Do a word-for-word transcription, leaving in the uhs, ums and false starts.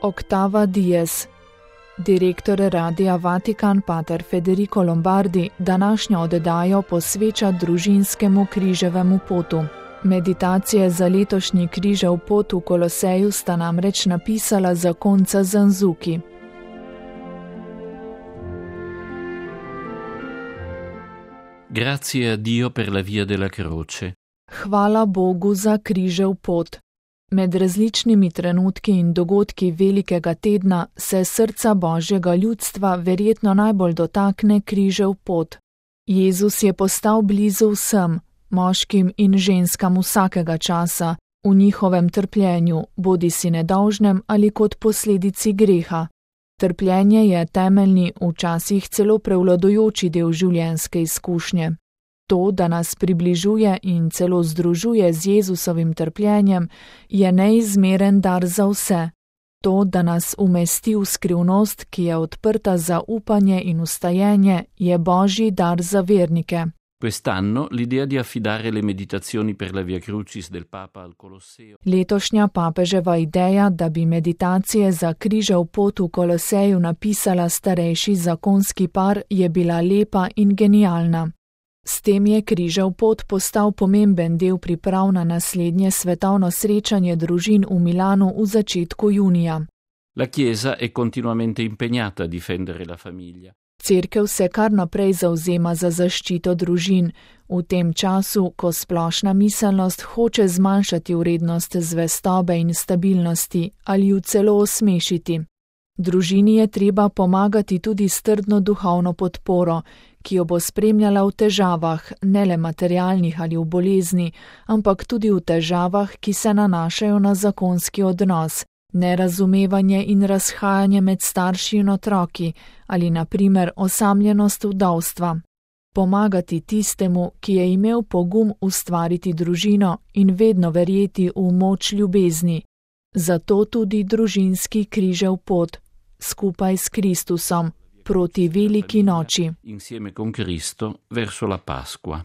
Octava Dies. Direktor Radia Vatikan pater Federico Lombardi današnjo oddajo posveča družinskemu križevemu potu. Meditacije za letošnji križev pot v Koloseju sta namreč napisala zakonca Zanzuki. Grazie a Dio per la via della croce. Hvala Bogu za križev pot. Med različnimi trenutki in dogodki velikega tedna se srca Božjega ljudstva verjetno najbolj dotakne križev pot. Jezus je postal blizu vsem, moškim in ženskam vsakega časa, v njihovem trpljenju, bodisi nedolžnem ali kot posledici greha. Trpljenje je temeljni, včasih celo prevladujoči del življenjske izkušnje. To, da nas približuje in celo združuje z Jezusovim trpljenjem, je neizmeren dar za vse. To, da nas umesti v skrivnost, ki je odprta za upanje in ustajenje, je Božji dar za vernike. Quest'anno l'idea di affidare le meditazioni per la Via Crucis del Papa al Colosseo. Letošnja papeževa ideja, da bi meditacije za križev pot v Koloseju napisala starejši zakonski par, je bila lepa in genialna. S tem je križev pot postal pomemben del priprav na naslednje svetovno srečanje družin v Milanu v začetku junija. La Chiesa è continuamente impegnata a difendere la famiglia. Cerkev se kar naprej zavzema za zaščito družin, v tem času, ko splošna miselnost hoče zmanjšati vrednost zvestobe in stabilnosti ali ju celo osmešiti. Družini je treba pomagati tudi s trdno duhovno podporo, ki jo bo spremljala v težavah, ne le materialnih ali v bolezni, ampak tudi v težavah, ki se nanašajo na zakonski odnos, nerazumevanje in razhajanje med starši in otroki ali na primer osamljenost vdovstva. Pomagati tistemu, ki je imel pogum ustvariti družino in vedno verjeti v moč ljubezni. Zato tudi družinski križev pot, skupaj s Kristusom, proti veliki noči. Insieme con Cristo verso la Pasqua.